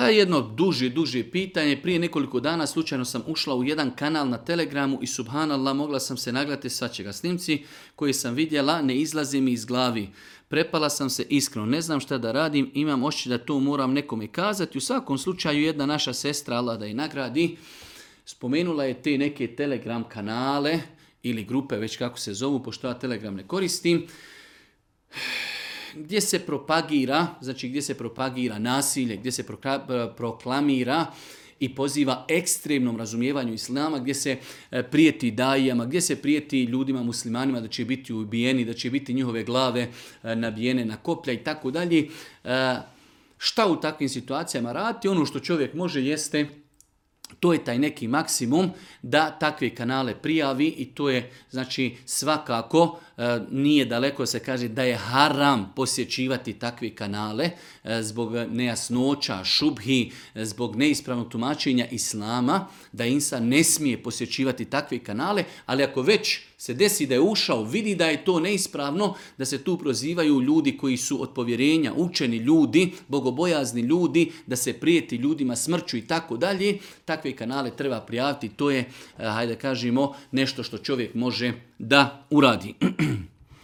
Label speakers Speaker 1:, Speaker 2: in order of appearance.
Speaker 1: Jedno duže pitanje. Prije nekoliko dana slučajno sam ušla u jedan kanal na Telegramu i subhanallah mogla sam se nagledati svačega. Snimci koje sam vidjela ne izlaze mi iz glavi. Prepala sam se iskreno, ne znam šta da radim, imam osjećaj da to moram nekome kazati. U svakom slučaju jedna naša sestra, Allah da je nagradi, spomenula je te neke Telegram kanale ili grupe, već kako se zovu, pošto ja Telegram ne koristim, gdje se propagira nasilje, gdje se proklamira i poziva ekstremnom razumijevanju islama, gdje se prijeti dajama, gdje se prijeti ljudima muslimanima da će biti ubijeni, da će biti njihove glave nabijene na koplja i tako dalje. Šta u takvim situacijama raditi? Ono što čovjek može jeste, to je taj neki maksimum da takve kanale prijavi i to je znači svakako nije daleko se kaže da je haram posjećivati takve kanale zbog nejasnoća, šubhi, zbog neispravnog tumačenja islama, da insan ne smije posjećivati takve kanale, ali ako već se desi da je ušao, vidi da je to neispravno, da se tu prozivaju ljudi koji su od povjerenja, učeni ljudi, bogobojazni ljudi, da se prijeti ljudima smrću i tako dalje, takve kanale treba prijaviti, to je, hajde kažemo, nešto što čovjek može da uradi.